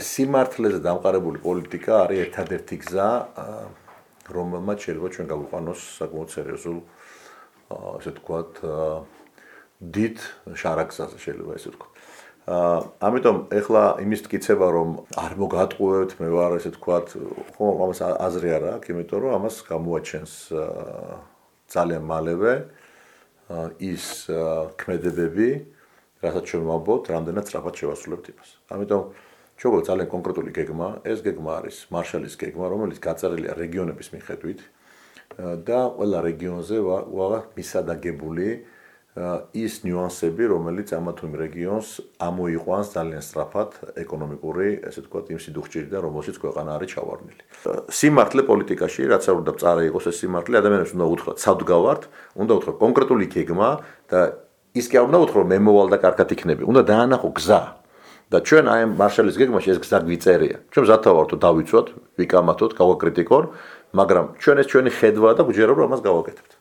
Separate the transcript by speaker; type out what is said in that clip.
Speaker 1: სიმართლეზე დამყარებული პოლიტიკა არის ერთადერთი გზა, რომელმაც შეიძლება ჩვენ გავიყვანოს საკმაოდ სერიოზულ, ასე ვთქვათ, დიდ შარაგზაზე შეიძლება ესე ვთქვათ. ამიტომ ეხლა იმის მტკიცება რომ არ მოგატყუებთ, მე ვარ ესე ვთქვათ, ხომ ამას აზრი არ აქვს, იმიტომ რომ ამას გამოაჩენს ძალიან მალევე ის ქმედებები, რასაც ჩვენ ვამბობთ, რამდენად სწრაფად შევასრულებთ იმას. ამიტომ ჩვენ ძალიან კონკრეტული გეგმა, ეს გეგმა არის მარშალის გეგმა, რომელიც გაწერილია რეგიონების მიხედვით და ყველა რეგიონზე ვაღა მისადაგებული ის ნიუანსები, რომელიც ამა თუ იმ რეგიონს ამოიყვანს ძალიან სწრაფად ეკონომიკური, ესე ვთქვათ, იმ სიდუხჭირიდან, რომელშიც ქვეყანა არის ჩავარდნილი. სიმართლე პოლიტიკაში, რაც არ უნდა მწარე იყოს ეს სიმართლე, ადამიანებს უნდა უთხრათ, სავდგავართ, უნდა უთხრათ კონკრეტული გეგმა და ის კი არ უნდა უთხრათ, მე მოვალ და კარგად იქნები, უნდა დაანახო გზა. და ჩვენ აი ამ მარშალის გეგმაში ეს გზა გვიწერია. ჩვენ მზადთა ვართ დავიცვათ, ვიკამათოთ, გავაკრიტიკონ, მაგრამ ჩვენ ეს ჩვენი ხედვა და გვჯერა რომ ამას გავაკეთებთ.